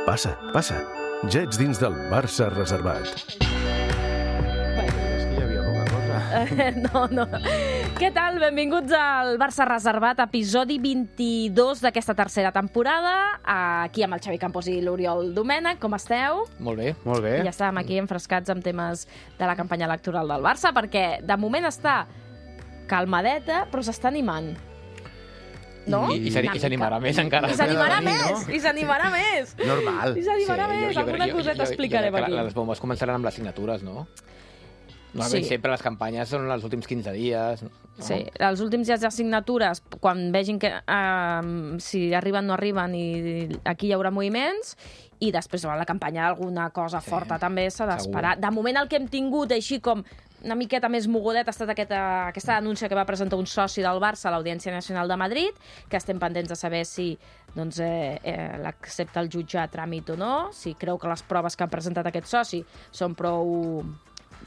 Passa, passa. Ja ets dins del Barça reservat. És que hi havia poca cosa. No. Què tal? Benvinguts al Barça Reservat, episodi 22 d'aquesta tercera temporada. Aquí amb el Xavi Campos i l'Oriol Domènech. Com esteu? Molt bé. Molt bé. Ja estàvem aquí enfrescats amb temes de la campanya electoral del Barça, perquè de moment està calmadeta, però s'està animant. No? I s'animarà més encara. I s'animarà no? més! I s'animarà més! Normal. I s'animarà més! Alguna coseta explicarem aquí. Les bombes començaran amb les signatures, no? Normalment sempre les campanyes són els últims 15 dies. No? Sí, els últims dies de signatures, quan vegin que si arriben o no arriben, i aquí hi haurà moviments, i després a la campanya alguna cosa forta també s'ha d'esperar. De moment el que hem tingut així com una miqueta més mogudet ha estat aquesta denúncia que va presentar un soci del Barça a l'Audiència Nacional de Madrid, que estem pendents de saber si l'accepta el jutge a tràmit o no, si creu que les proves que ha presentat aquest soci són prou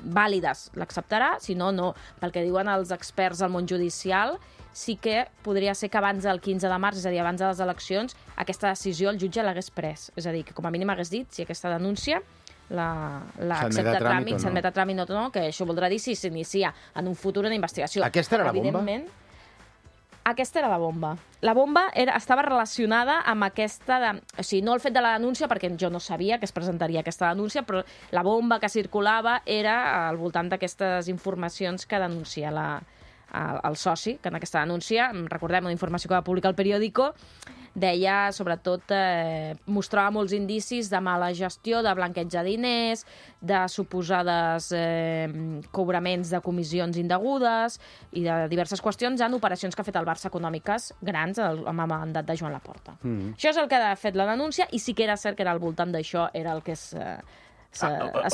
vàlides, l'acceptarà, si no, no. Pel que diuen els experts del món judicial, sí que podria ser que abans del 15 de març, és a dir, abans de les eleccions, aquesta decisió el jutge l'hagués pres. És a dir, que com a mínim hagués dit si aquesta denúncia l'accepta a tràmit, s'admet a tràmit o no, que això voldrà dir si s'inicia en un futur una investigació. Aquesta era la bomba? Evidentment, aquesta era la bomba. La bomba estava relacionada amb aquesta... O sigui, no el fet de la denúncia, perquè jo no sabia que es presentaria aquesta denúncia, però la bomba que circulava era al voltant d'aquestes informacions que denuncia el soci, que en aquesta denúncia, recordem, una informació que va publicar el periòdico, deia, sobretot, mostrava molts indicis de mala gestió, de blanqueig de diners, de suposades cobraments de comissions indegudes i de diverses qüestions en operacions que ha fet el Barça econòmiques grans amb el mandat de Joan Laporta. Això és el que ha fet la denúncia, i sí que era cert que era al voltant d'això era el que es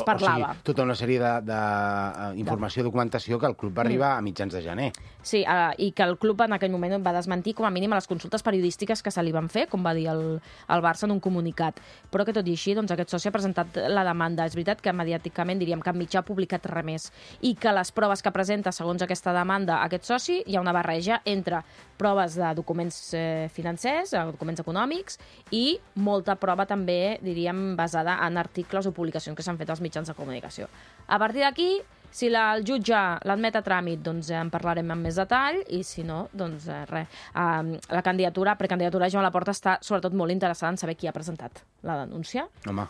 parlava. O sigui, tota una sèrie d'informació, documentació que el club va arribar a mitjans de gener. Sí, i que el club en aquell moment va desmentir com a mínim a les consultes periodístiques que se li van fer, com va dir el Barça en un comunicat. Però que tot i així, doncs, aquest soci ha presentat la demanda. És veritat que mediàticament diríem que cap mitjà ha publicat res més, i que les proves que presenta segons aquesta demanda aquest soci hi ha una barreja entre proves de documents financers, documents econòmics, i molta prova també, diríem, basada en articles o publicacions que s'han fet als mitjans de comunicació. A partir d'aquí, si el jutge l'admet a tràmit, doncs en parlarem amb més detall, i si no, doncs res. La precandidatura de Joan Laporta està sobretot molt interessada en saber qui ha presentat la denúncia. Home.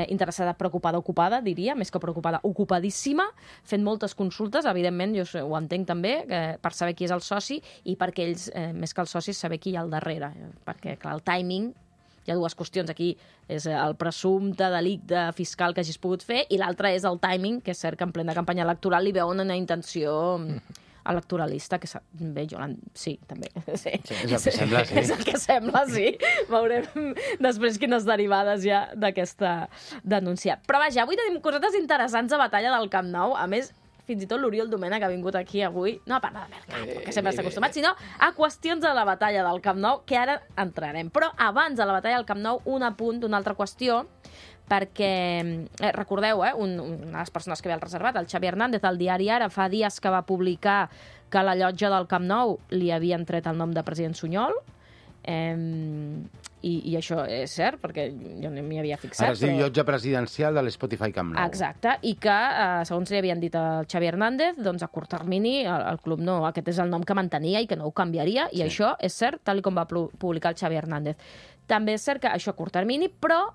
Interessada, preocupada, ocupada, diria, més que preocupada, ocupadíssima, fent moltes consultes, evidentment, jo ho entenc també, per saber qui és el soci, i perquè ells, més que els socis, saber qui hi ha al darrere, perquè, clar, el timing, hi ha dues qüestions. Aquí és el presumpte delicte fiscal que hagis pogut fer, i l'altre és el timing, que és cert que en plena campanya electoral li veuen una intenció electoralista, que bé, sí, també. Sí. És el que sembla, sí. És el que sembla, sí. Veurem després quines derivades hi ha d'aquesta denúncia. Però vaja, avui tenim cosetes interessants a Batalla del Camp Nou. A més, fins i tot l'Oriol Domènech ha vingut aquí avui, no a parlar de mercat, que sempre està acostumat, sinó a qüestions de la batalla del Camp Nou, que ara entrarem. Però abans de la batalla del Camp Nou, un apunt d'una altra qüestió, perquè, recordeu, una de les persones que ve al reservat, el Xavi Hernández, al diari Ara, fa dies que va publicar que a la llotja del Camp Nou li havien tret el nom de president Sunyol, i això és cert, perquè jo no m'hi havia fixat. Ara es diu llotja presidencial de l'Spotify Camp Nou. Exacte, i que, segons li havien dit al Xavi Hernández, doncs a curt termini el club no, aquest és el nom que mantenia i que no ho canviaria, i això és cert, tal com va publicar el Xavi Hernández. També és cert que això a curt termini, però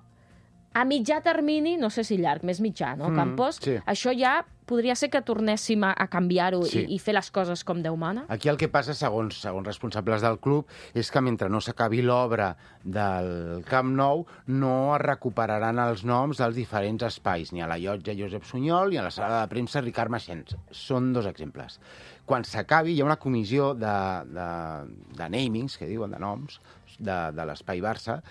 a mitjà termini, no sé si llarg, més mitjà, no, Campos? Sí. Això ja podria ser que tornéssim a canviar-ho i fer les coses com Déu mana? Aquí el que passa, segons responsables del club, és que mentre no s'acabi l'obra del Camp Nou, no es recuperaran els noms dels diferents espais, ni a la llotja Josep Sunyol ni a la sala de premsa Ricard Maxens. Són dos exemples. Quan s'acabi, hi ha una comissió de namings, que diuen, de noms, de l'Espai Barça,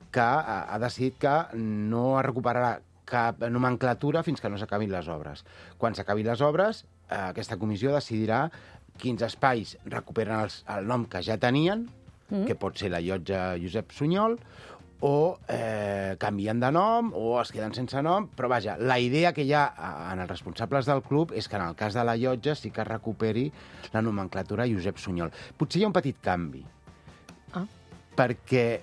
que ha decidit que no es recuperarà cap nomenclatura fins que no s'acabin les obres. Quan s'acabin les obres, aquesta comissió decidirà quins espais recuperen el nom que ja tenien, que pot ser la llotja Josep Sunyol, o canvien de nom, o es queden sense nom, però vaja, la idea que hi ha en els responsables del club és que en el cas de la llotja sí que es recuperi la nomenclatura Josep Sunyol. Potser hi ha un petit canvi. perquè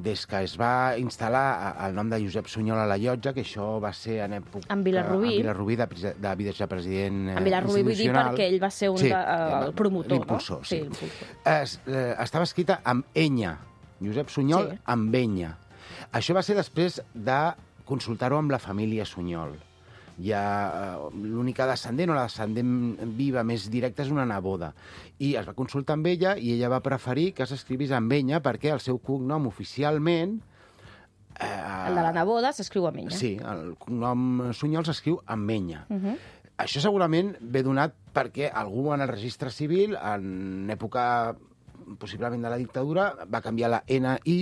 des que es va instal·lar el nom de Josep Sunyol a la llotja, que això va ser en època... En Vilarrubí. En Vilarrubí, de vicepresident En Vilarrubí vull dir perquè ell va ser el promotor, l'impulsor, no? sí. L'impulsor. Estava escrita amb enya, Josep Sunyol amb enya. Això va ser després de consultar-ho amb la família Sunyol. L'única descendent o la descendent viva més directa és una neboda. I es va consultar amb ella i ella va preferir que s'escrivís amb enya perquè el seu cognom oficialment... El de la neboda s'escriu amb enya. Sí, el cognom Sunyol s'escriu amb enya. Això segurament ve donat perquè algú en el registre civil, en època possiblement de la dictadura, va canviar la N-I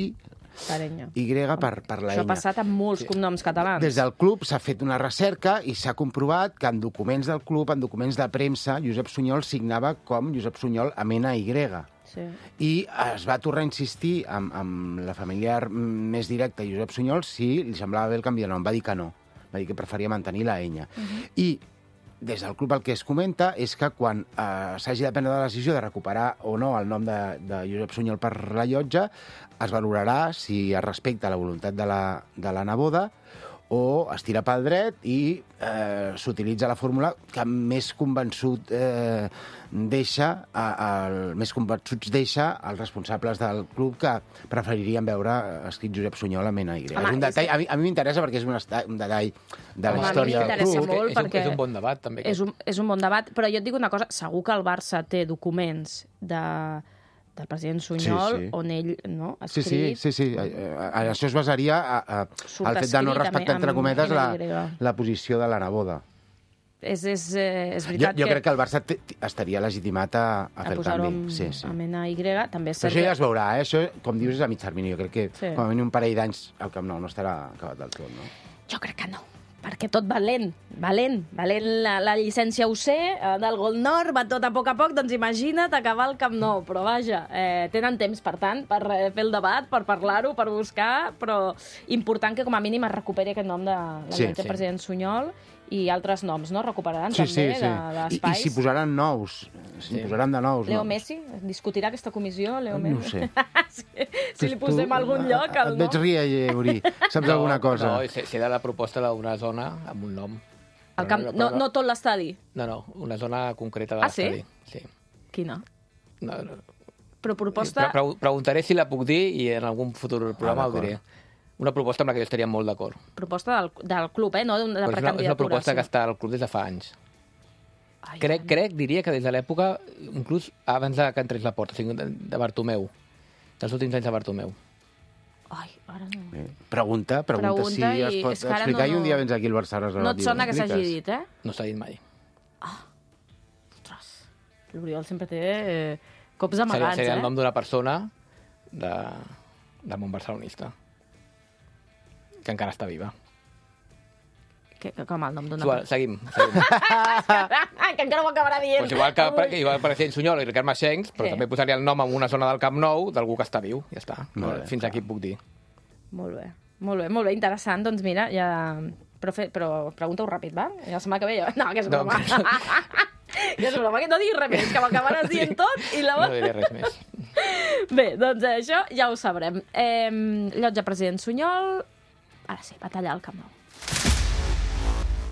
per la enya. Això ha passat amb molts cognoms catalans. Des del club s'ha fet una recerca i s'ha comprovat que en documents del club, en documents de premsa, Josep Sunyol signava com Josep Sunyol amb N-Y. Sí. I es va tornar a insistir amb la familiar més directa, Josep Sunyol, si li semblava bé el canvi de nom. Va dir que no. Va dir que preferia mantenir la enya. I des del club el que es comenta és que quan s'hagi de prendre la decisió de recuperar o no el nom de Josep Sunyol per la llotja, es valorarà si es respecta la voluntat de la neboda o es tira pel dret i s'utilitza la fórmula que més convençuts deixa els responsables del club que preferirien veure escrit Josep Sunyol amb N-Y. És un detall, a mi m'interessa perquè és un detall de la història del club. És un bon debat, també. És un bon debat, però jo et dic una cosa, segur que el Barça té documents del president Sunyol, on ell ha escrit... Sí. Això es basaria al fet de no respectar, entre cometes, la posició de la neboda. És veritat jo crec que el Barça estaria legitimat a fer el canvi. Amb NY, també és cert. Això ja es veurà, això, com dius, és a mig termini. Jo crec que com a mínim un parell d'anys al Camp Nou no estarà acabat del tot, no? Jo crec que no, perquè tot va lent. La llicència UC del Gol Nord va tot a poc, doncs imagina't acabar el Camp Nou. Però vaja, tenen temps, per tant, per fer el debat, per parlar-ho, per buscar, però important que com a mínim es recuperi aquest nom de la president Sunyol i altres noms, no? Recuperaran també d'espais. I s'hi posaran nous. S'hi posaran de nous. Leo Messi? Discutirà aquesta comissió, Leo Messi? No ho sé. Si li posem a algun lloc, el nom. Et veig rieure. Saps alguna cosa? No, serà la proposta d'una zona amb un nom. No tot l'estadi? No, una zona concreta de l'estadi. Sí? Quina? No. Però proposta... Preguntaré si la puc dir i en algun futur programa ho diré. Una proposta amb la que jo estaria molt d'acord. Proposta del club, no de precandidatura. És una proposta que està al club des de fa anys. Diria que des de l'època, inclús abans que entrés la porta, de Bartomeu, dels últims anys de Bartomeu. Ai, ara no. Pregunta si es pot explicar i un dia vens aquí al Barça. No et sona que s'hagi dit, No s'ha dit mai. Ostres, l'Oriol sempre té cops amagats, Seria el nom d'una persona de món barcelonista que encara està viva. Com el nom d'una persona? Seguim. Que encara ho acabarà dient. Pues igual el president Sunyol i Ricard Maxencs, però també posaria el nom en una zona del Camp Nou d'algú que està viu. Ja està. Fins aquí puc dir. Molt bé, interessant. Doncs mira, ja... Però pregunta-ho ràpid, va? I la setmana que ve... No, que és broma. Que és broma, que no diguis res més, que m'acabaràs dient tot i No diré res més. Bé, doncs això ja ho sabrem. Llotja president Sunyol... Ara sí, batalla al Camp Nou.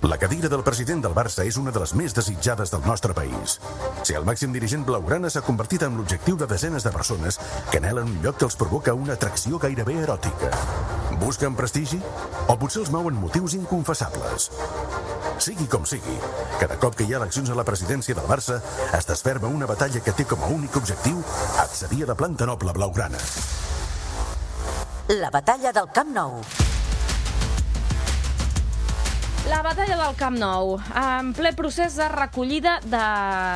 La cadira del president del Barça és una de les més desitjades del nostre país. Si el màxim dirigent blaugrana s'ha convertit en l'objectiu de desenes de persones que anhelen un lloc que els provoca una atracció gairebé eròtica. Busquen prestigi? O potser els mouen motius inconfessables? Sigui com sigui, cada cop que hi ha eleccions a la presidència del Barça es desferma una batalla que té com a únic objectiu accedir a la planta noble blaugrana. La batalla del Camp Nou. La batalla del Camp Nou, en ple procés de recollida de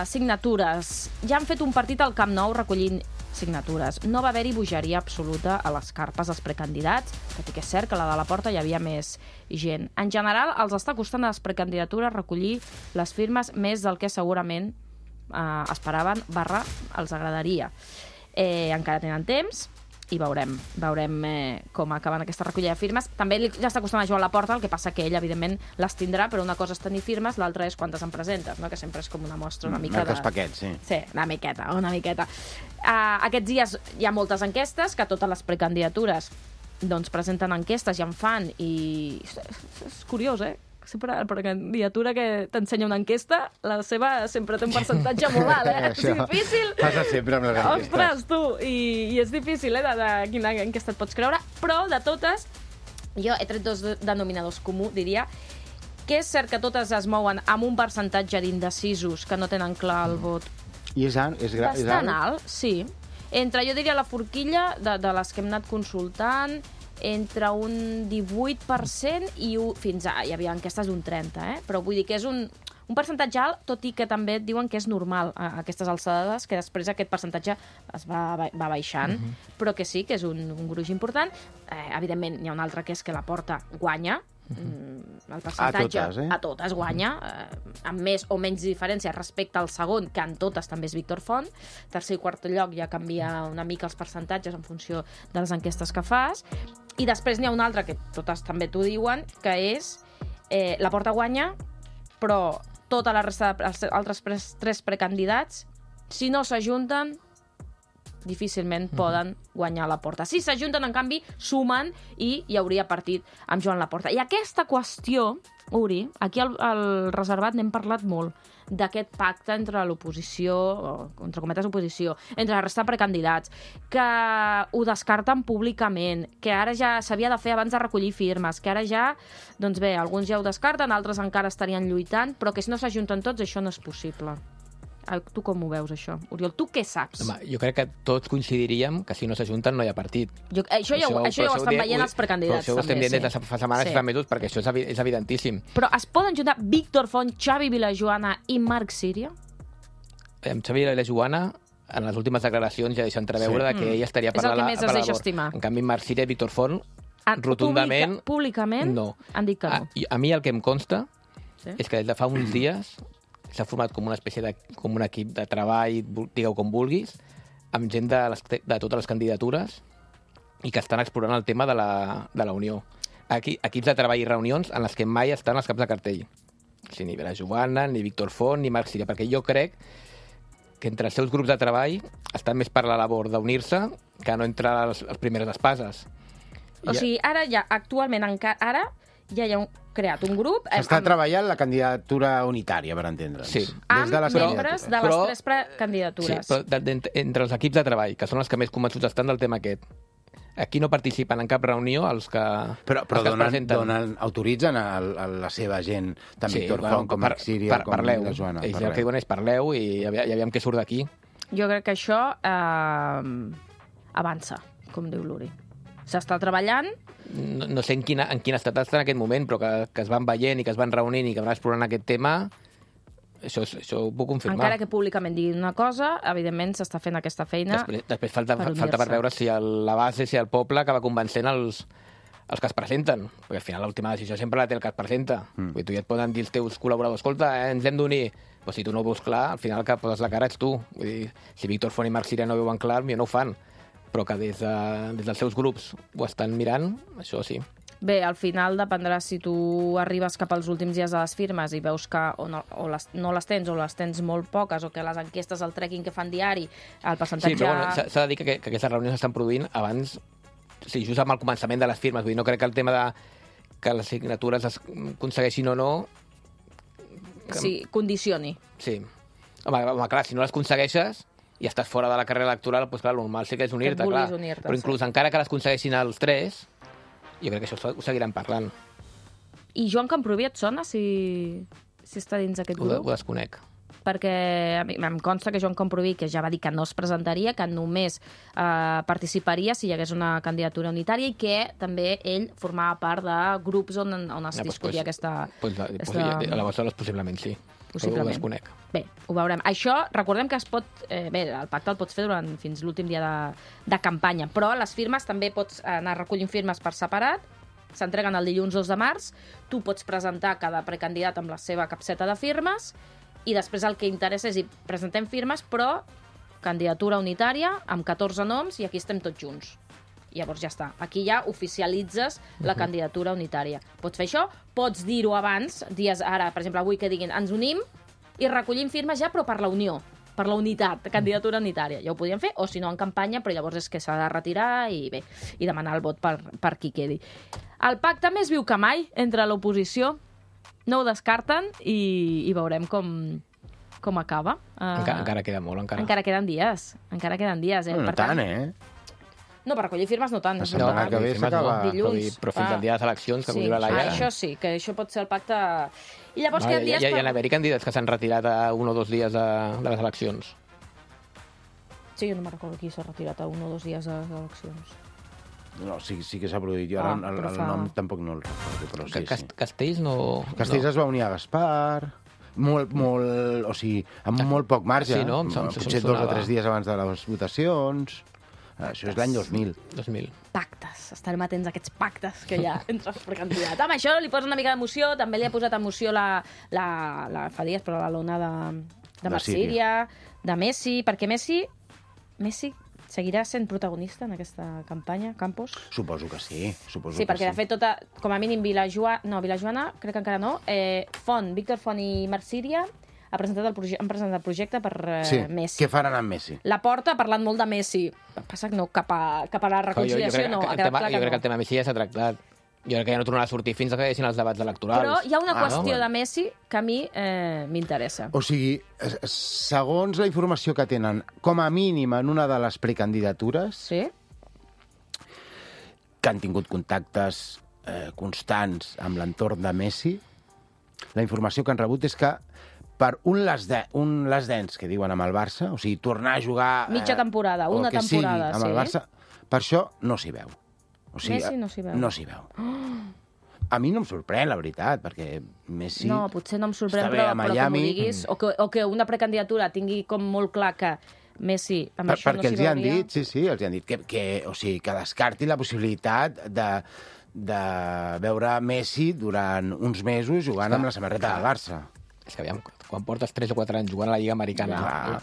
signatures. Ja han fet un partit al Camp Nou recollint signatures. No va haver-hi bogeria absoluta a les carpes dels precandidats, tot i que és cert que a la de la porta hi havia més gent. En general, els està costant a les precandidatures recollir les firmes més del que segurament esperaven / els agradaria. Encara tenen temps i veurem com acaben aquesta recollida de firmes. També ja està costant a Joan Laporta, el que passa que ell, evidentment, les tindrà, però una cosa és tenir firmes, l'altra és quantes en presentes, no? Que sempre és com una mostra una mica Marques paquets, sí. Sí, una miqueta. Aquests dies hi ha moltes enquestes, que totes les precandidatures doncs presenten enquestes i en fan, i és curiós, Sempre la precandidatura que t'ensenya una enquesta, la seva sempre té un percentatge molt alt, És difícil. Passa sempre amb les enquestes. Ostres, tu, i és difícil, de quina enquesta et pots creure, però de totes, jo he tret dos denominadors comuns, diria, que és cert que totes es mouen amb un percentatge d'indecisos que no tenen clar el vot. I és bastant alt, sí. Entre, jo diria, la forquilla de les que hem anat consultant, entre un 18% i fins a... Hi havia enquestes d'un 30%, però vull dir que és un percentatge alt, tot i que també et diuen que és normal a aquestes alçades, que després aquest percentatge es va baixant, però que sí, que és un gruix important. Evidentment, n'hi ha un altre que és que la Porta guanya, el percentatge a totes guanya, amb més o menys diferència respecte al segon, que en totes també és Víctor Font. Tercer i quart lloc ja canvia una mica els percentatges en funció de les enquestes que fas. I després n'hi ha un altre, que totes també t'ho diuen, que és la Porta guanya, però tota la resta dels altres tres precandidats, si no s'ajunten, difícilment poden guanyar la Porta. Si s'ajunten, en canvi, sumen i hi hauria partit amb Joan Laporta. I aquesta qüestió, Uri, aquí al Reservat n'hem parlat molt, d'aquest pacte entre l'oposició, entre cometes oposició, entre la resta de precandidats, que ho descarten públicament, que ara ja s'havia de fer abans de recollir firmes, que ara ja, doncs bé, alguns ja ho descarten, altres encara estarien lluitant, però que si no s'ajunten tots això no és possible. Tu com ho veus, això? Oriol, tu què saps? Home, jo crec que tots coincidiríem que si no s'ajunten no hi ha partit. Això ja ho estan veient els precandidats. Això ho estem dient des de fa setmanes i fa mesos, perquè això és evidentíssim. Però es poden juntar Víctor Font, Xavi Vilajoana i Marc Síria? Amb Xavi Vilajoana, en les últimes declaracions ja deixa entreveure que ell estaria per la labor. És el que més es deixa estimar. En canvi, Marc Síria i Víctor Font, rotundament... Públicament? No. Han dit que no. A mi el que em consta és que des de fa uns dies s'ha format com una espècie com un equip de treball, digueu com vulguis, amb gent de totes les candidatures i que estan explorant el tema de la unió. Equips de treball i reunions en les que mai estan els caps de cartell. O sigui, ni Vilajoana, ni Víctor Font, ni Marc Síria, perquè jo crec que entre els seus grups de treball estan més per la labor d'unir-se que no entre les primeres espases. O sigui, ara ja, actualment, ara ja hi ha creat un grup... S'està treballant la candidatura unitària, per entendre'ns. Sí. Amb membres de les tres precandidatures. Sí, però entre els equips de treball, que són els que més convençuts estan del tema aquest, aquí no participen en cap reunió els que Però autoritzen a la seva gent, tant Víctor Font com Marc Síria, com la Joana. Ells el que diuen és parleu i ja veiem què surt d'aquí. Jo crec que això avança, com diu l'Uri. S'està treballant. No sé en quin estat està en aquest moment, però que es van veient i que es van reunint i que van explorant aquest tema, això ho puc confirmar. Encara que públicament diguin una cosa, evidentment s'està fent aquesta feina. Després falta per veure si la base, si el poble acaba convencent els que es presenten, perquè al final l'última decisió sempre la té el que es presenta. Tu ja et poden dir els teus col·laboradors, escolta, ens hem d'unir. Però si tu no ho veus clar, al final que poses la cara ets tu. Vull dir, si Víctor Font i Marc Síria no ho veuen clar, no ho fan. Però que des dels seus grups ho estan mirant, això sí. Bé, al final dependrà si tu arribes cap als últims dies de les firmes i veus que no les tens o les tens molt poques o que les enquestes, el tracking que fan diari, el percentatge... Sí, però bueno, s'ha de dir que aquestes reunions s'estan produint abans, sí, just amb el començament de les firmes. Vull dir, no crec que el tema de que les signatures es aconsegueixin o no... Sí, condicioni. Sí. Home, clar, si no les aconsegueixes i estàs fora de la carrera electoral, doncs clar, el normal sí que és unir-te, clar. Però inclús encara que les aconsegueixin els tres, jo crec que això ho seguiran parlant. I Joan Camprubí et sona, si està dins d'aquest grup? Ho desconec. Perquè a mi em consta que Joan Camprubí, que ja va dir que no es presentaria, que només participaria si hi hagués una candidatura unitària i que també ell formava part de grups on es discutia aquesta... Aleshores, possiblement sí. Possiblement. Ho desconec. Bé, ho veurem. Això, recordem que es pot... Bé, el pacte el pots fer fins l'últim dia de campanya, però les firmes també pots anar recollint firmes per separat, s'entreguen el dilluns 2 de març, tu pots presentar cada precandidat amb la seva capseta de firmes i després el que interessa és presentem firmes, però candidatura unitària amb 14 noms i aquí estem tots junts. I llavors ja està. Aquí ja oficialitzes la candidatura unitària. Pots fer això, pots dir-ho abans, dies ara, per exemple, avui que diguin ens unim i recollim firmes ja, però per la unió, per la unitat, candidatura unitària. Ja ho podien fer, o si no en campanya, però llavors és que s'ha de retirar i bé, i demanar el vot per qui quedi. El pacte més viu que mai entre l'oposició, no ho descarten i veurem com acaba. Encara queda molt, encara. Encara queden dies. No tant, No, per recollir firmes no tant. La setmana que ve s'acaba. Dilluns. Però fins al dia de les eleccions, que Sí, la Laia... això sí, que això pot ser el pacte... I llavors queden dies Hi ha d'haver-hi candidats que s'han retirat a 1 o 2 dies de les eleccions. Sí, jo no me'n recordo qui s'ha retirat a 1 o 2 dies de les eleccions. No, sí que s'ha produït. Jo ara el nom tampoc no el recordo, però sí. Castells no... Castells es va unir a Gaspar... o sigui, amb molt poc marge. Sí, no? Potser 2 o 3 dies abans de les votacions. Això és l'any 2000. Pactes. Estarem atents a aquests pactes que hi ha entre els precandidats. Amb això li posa una mica d'emoció. També li ha posat emoció fa dies, però la lona de Marsíria, de Messi, perquè Messi seguirà sent protagonista en aquesta campanya, Campos? Suposo que sí. Sí, perquè de fet com a mínim Vilajoana, crec que encara no, Víctor Font i Marsíria han presentat el projecte per Messi. Què faran amb Messi? La Porta ha parlat molt de Messi. Passa que no, cap a la reconciliació no. Jo crec que el tema Messi ja s'ha tractat. Jo crec que ja no tornarà a sortir fins que hi hagin els debats electorals. Però hi ha una qüestió de Messi que a mi m'interessa. O sigui, segons la informació que tenen, com a mínim en una de les precandidatures, que han tingut contactes constants amb l'entorn de Messi, la informació que han rebut és que per un les dents que diuen amb el Barça, o sigui, tornar a jugar... Mitja temporada, una temporada, amb el Barça, per això no s'hi veu. O sigui, Messi no s'hi veu. No s'hi veu. A mi no em sorprèn, la veritat, perquè Messi... No, potser no em sorprèn, però com ho diguis, o que una precandidatura tingui com molt clar que Messi amb això no s'hi veuria... Perquè els hi han dit, els hi han dit que descarti la possibilitat de veure Messi durant uns mesos jugant amb la samarreta del Barça. És que, aviam, quan portes 3 o 4 anys jugant a la Lliga Americana,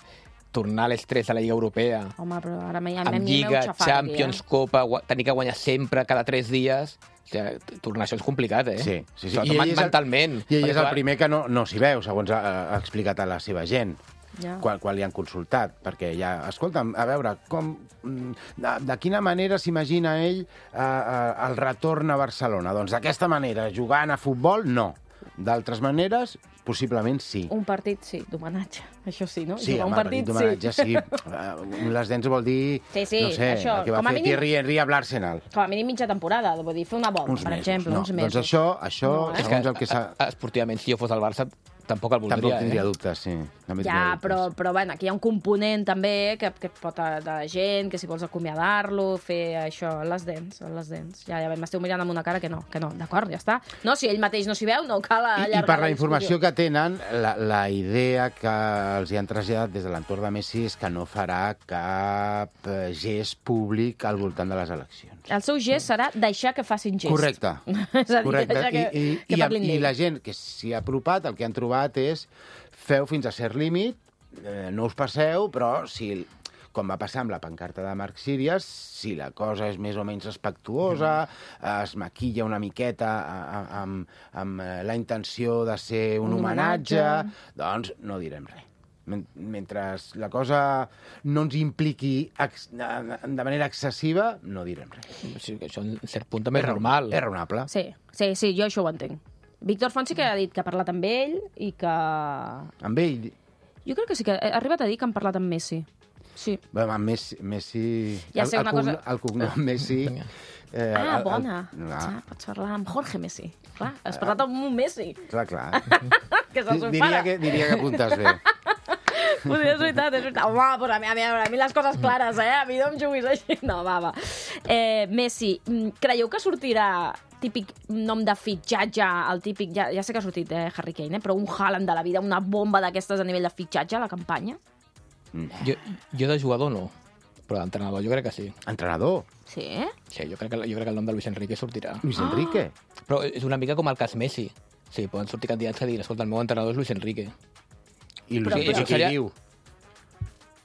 tornar a l'estrès a la Lliga Europea, home, però ara amb Lliga, Champions, Copa, tenir que guanyar sempre cada 3 dies... O sigui, tornar això és complicat, Sí. Mentalment. I ell és el primer que no s'hi veu, segons ha explicat a la seva gent. Quan li han consultat, perquè ja, escolta'm, a veure, de quina manera s'imagina ell el retorn a Barcelona? Doncs d'aquesta manera, jugant a futbol, no. D'altres maneres, possiblement sí. Un partit, sí, d'homenatge, això sí, no? Sí, un partit d'homenatge, sí. Les dents vol dir, no sé, el que va fer Thierry Henry amb l'Arsenal. Com a mínim mitja temporada, vull dir, fer una volta, per exemple, uns mesos. Doncs això segons el que s'ha... Esportivament, si jo fos al Barça, tampoc el voldria. Tampoc tindria dubtes, sí. Ja, però bueno, aquí hi ha un component també que pot de gent, que si vols acomiadar-lo, fer això, les dents. Ja m'esteu mirant amb una cara que no, d'acord, ja està. No, si ell mateix no s'hi veu, no cal allargar la discussió. I per la informació que tenen, la idea que els hi han traslladat des de l'entorn de Messi és que no farà cap gest públic al voltant de les eleccions. El seu gest serà deixar que facin gest. Correcte. És a dir, deixar que parlin d'ell. I la gent que s'hi ha apropat, el que han trobat és feu fins a cert límit, no us passeu, però si, com va passar amb la pancarta de Marc Síries, si la cosa és més o menys respectuosa, es maquilla una miqueta amb la intenció de ser un homenatge, doncs no direm res. Mentre la cosa no ens impliqui de manera excessiva, no direm res. Sí, això en cert punt també és normal. És raonable. Sí, jo això ho entenc. Víctor Font sí que ha dit que ha parlat amb ell i que... Amb ell? Jo crec que sí que ha arribat a dir que han parlat amb Messi. Sí. Bé, amb Messi... Ja sé una cosa... El cognom Messi... Bona. Pots parlar amb Jorge Messi. Clar, has parlat amb un Messi. Clar. Que és el seu pare. Diria que apuntes bé. És veritat. Home, pues a mi les coses clares, A mi no em juguis així. No, va. Messi, creieu que sortirà típic nom de fitxatge, el típic... Ja sé que ha sortit Harry Kane, però un Haaland de la vida, una bomba d'aquestes a nivell de fitxatge a la campanya? Jo de jugador no, però d'entrenador jo crec que sí. Entrenador? Sí? Sí, jo crec que el nom de Luis Enrique sortirà. Luis Enrique? Però és una mica com el cas Messi. Sí, poden sortir candidats que diguin, escolta, el meu entrenador és Luis Enrique. I Luis Enrique què diu?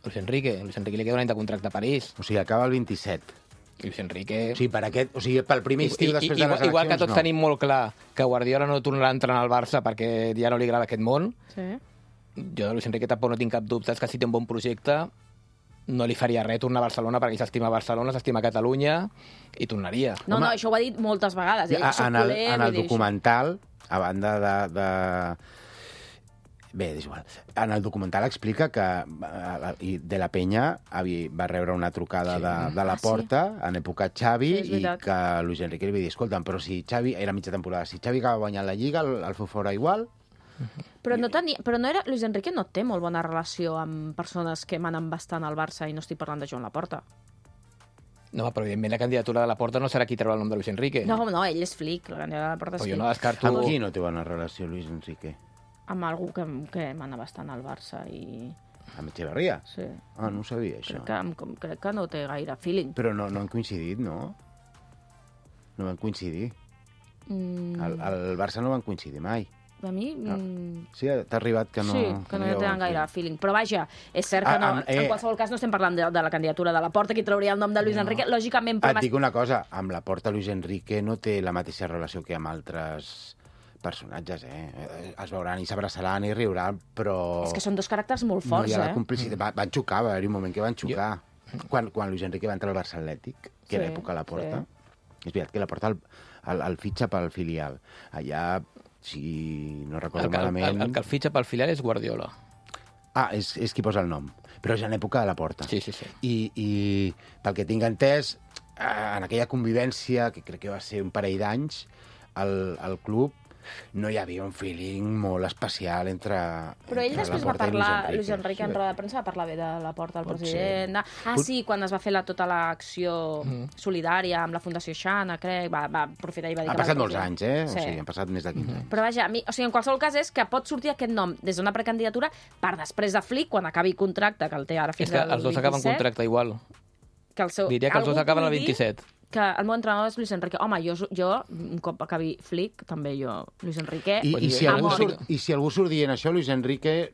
Luis Enrique li queda un any de contracte a París. O sigui, acaba el 27. Luis Enrique... O sigui, pel primer estiu després de les eleccions, igual que tots tenim molt clar que Guardiola no tornarà a entrenar al Barça perquè ja no li agrada aquest món, jo de Luis Enrique tampoc no tinc cap dubte que si té un bon projecte no li faria res tornar a Barcelona perquè ell s'estima Barcelona, s'estima Catalunya i tornaria. No, això ho ha dit moltes vegades. En el documental, a banda de... Bé, és igual. En el documental explica que De la Peña va rebre una trucada de la Porta en època Xavi i que Luis Enrique li va dir, escolta'm, però si Xavi... Era mitja temporada. Si Xavi acaba guanyant la Lliga, el feu fora igual... Però no era... Luis Enrique no té molt bona relació amb persones que manen bastant al Barça i no estic parlant de Joan Laporta. No, però evidentment la candidatura de la Porta no serà qui treurà el nom de Luis Enrique. No, ell és Flick, la candidatura de la Porta és Flick. Jo no descarto... Amb qui no té bona relació Luis Enrique? Amb algú que mana bastant al Barça i... Amb Echeverría? Sí. Ah, no ho sabia, això. Crec que no té gaire feeling. Però no han coincidit, no? No van coincidir. Al Barça no van coincidir mai. A mi... Sí, t'ha arribat que no... Sí, que no hi tenen gaire feeling. Però vaja, és cert que no... En qualsevol cas no estem parlant de la candidatura de la Porta, qui trauria el nom de Luis Enrique. Lògicament... Et dic una cosa, amb la Porta Luis Enrique no té la mateixa relació que amb altres personatges, es veuran i s'abraçaran i riuran, però... És que són dos caràcters molt forts, no hi ha la complicitat. Van xocar, va haver-hi un moment que van xocar. Quan Luis Enrique va entrar al Barça Atlètic, que era època a la Porta, és veritat que la Porta el fitxa pel filial. Allà, si no recordo malament... El que el fitxa pel filial és Guardiola. Ah, és qui posa el nom. Però és en època de la Porta. Sí. I pel que tinc entès, en aquella convivència, que crec que va ser un parell d'anys, al club, no hi havia un feeling molt especial entre Però ell després va parlar, Luis Enrique en roda de premsa va parlar bé de la Porta al president. Sí, quan es va fer tota l'acció solidària amb la Fundació Xana, crec, va aprofitar i va dir... Ha passat molts anys, O sigui, han passat més de 15 anys. Però vaja, en qualsevol cas és que pot sortir aquest nom des d'una precandidatura per després de Flick, quan acabi contracte, que el té ara fins al 27. És que els dos acaben contracte igual. Diria que els dos acaben el 27. Que el meu entrenador és Luis Enrique. Home, jo un cop acabi Flick, també Luis Enrique... I si algú surt dient això, Luis Enrique,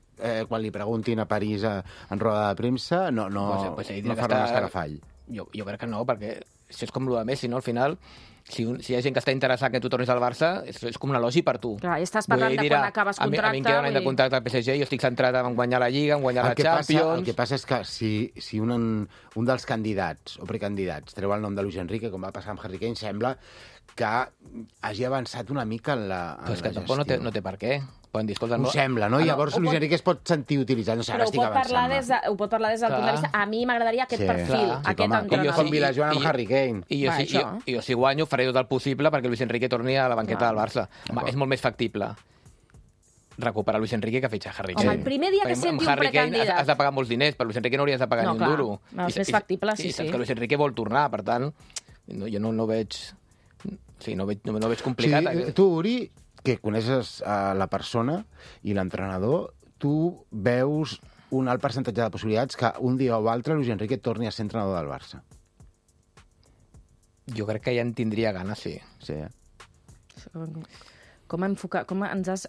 quan li preguntin a París en roda de premsa, no farà un escarafall. Jo crec que no, perquè això és com el de Messi, no? Al final, si hi ha gent que està interessada que tu tornis al Barça, és com un elogi per tu. Clar, i estàs parlant de quan acabes contracte... A mi em queda un any de contracte al PSG, jo estic centrat en guanyar la Lliga, en guanyar la Champions... El que passa és que si un dels candidats o precandidats treu el nom de Luis Enrique, com va passar amb Harry Kane, sembla que hagi avançat una mica en la gestió. Però és que tampoc no té per què. Poden dir, escolta, ho sembla, no? Llavors Luis Enrique es pot sentir utilitzat. No sé, ara estic avançant. Ho pot parlar des del punt de vista... A mi m'agradaria aquest perfil, aquest entrenador. Com Vilajoan amb Harry Kane. I jo, si guanyo, faré tot el possible perquè Luis Enrique torni a la banqueta del Barça. És molt més factible recuperar Luis Enrique que fitxar Harry Kane. Home, el primer dia que senti un precandidat... Has de pagar molts diners, però Luis Enrique no hauries de pagar ni un duro. No, és més factible, sí. I saps que Luis Enrique vol tornar, per tant, jo no veig... Sí, no veig complicat. Sí, tu, Uri, que coneixes la persona i l'entrenador, tu veus un alt percentatge de possibilitats que un dia o altre Luis Enrique torni a ser entrenador del Barça. Jo crec que ja en tindria ganes, sí. Sí, Com ens has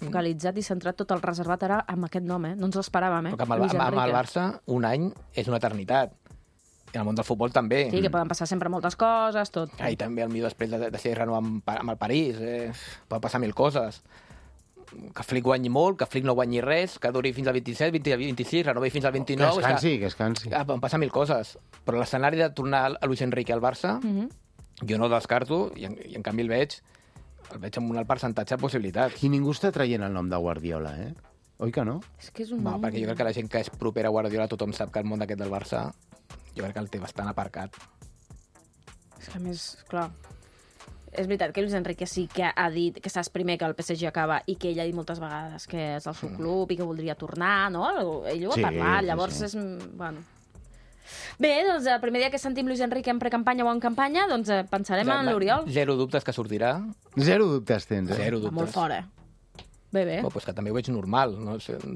focalitzat i centrat tot el reservat ara amb aquest nom, No ens l'esperàvem, Perquè amb el Barça un any és una eternitat. I en el món del futbol també. Sí, que poden passar sempre moltes coses, tot. I també el millor després de ser renovat amb el París. Poden passar 1000 coses. Que Flick guanyi molt, que Flick no guanyi res, que duri fins al 27, 26, renovi fins al 29... Que es cansi. Poden passar 1000 coses. Però l'escenari de tornar a Luis Enrique al Barça, jo no el descarto, i en canvi el veig amb un alt percentatge de possibilitats. I ningú està traient el nom de Guardiola, Oi que no? És que és un nom... perquè jo crec que la gent que és propera a Guardiola, tothom sap que el món d'aquest del Barça, jo crec que el té bastant aparcat. És que a més, clar... És veritat que Luis Enrique sí que ha dit que saps primer que el PSG acaba i que ell ha dit moltes vegades que és el seu club i que voldria tornar, no? Ell ho ha parlat, llavors és... Bueno. Bé, doncs el primer dia que sentim Luis Enrique en precampanya o en campanya, doncs pensarem en l'Oriol. 0 dubtes que sortirà. 0 dubtes tens, 0 dubtes. Molt fort, Bé. Pues que també ho veig normal,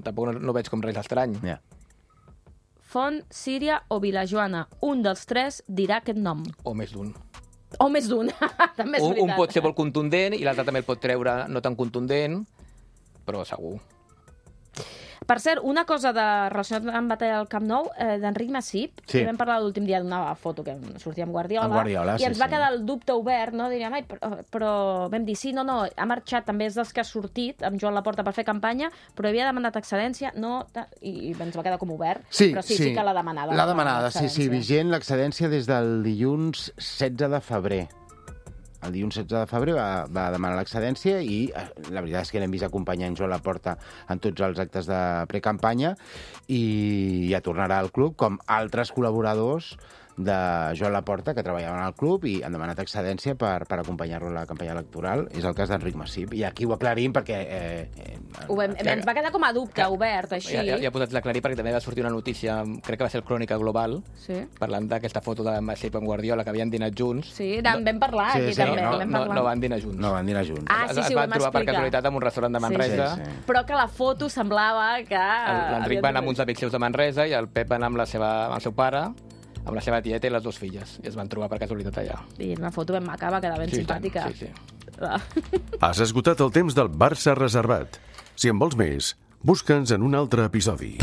tampoc no veig com res estrany. Font, Síria o Vilajoana, un dels tres dirà aquest nom. O més d'un. També és veritat. Un pot ser molt contundent i l'altre també el pot treure no tan contundent, però segur. Per cert, una cosa relacionada amb batalla del Camp Nou, d'Enric Masip, que vam parlar l'últim dia d'una foto que sortia amb Guardiola, i ens va quedar el dubte obert, no? Diríem, però vam dir, sí, no, ha marxat, també és dels que ha sortit amb Joan Laporta per fer campanya, però havia demanat excedència, no, i ens va quedar com obert, però sí que l'ha demanada. L'ha demanada, sí, vigent l'excedència des del dilluns 16 de febrer. El dilluns 16 de febrer va demanar l'excedència i la veritat és que l'hem vist acompanyant Joan Laporta en tots els actes de precampanya i ja tornarà al club, com altres col·laboradors de Joan Laporta que treballaven al club i han demanat excedència per acompanyar-lo a la campanya electoral. És el cas d'Enric Masip. I aquí ho aclarim perquè... ens va quedar com a dubte obert, així. Ja he posat l'aclarir perquè també va sortir una notícia, crec que va ser el Crònica Global, parlant d'aquesta foto de Masip amb Guardiola, que havien dinat junts. Sí, vam parlar aquí també. No van dinar junts. No van dinar junts. Sí, ho van trobar per casualitat en un restaurant de Manresa. Però que la foto semblava que... L'Enric va anar amb uns amics seus de Manresa i el Pep va anar amb el seu pare, amb la seva tieta i les dues filles. I es van trobar per casualitat allà. I una foto ben maca, va quedar ben simpàtica. Sí. Has esgotat el temps del Barça reservat. Si en vols més, busca'ns en un altre episodi.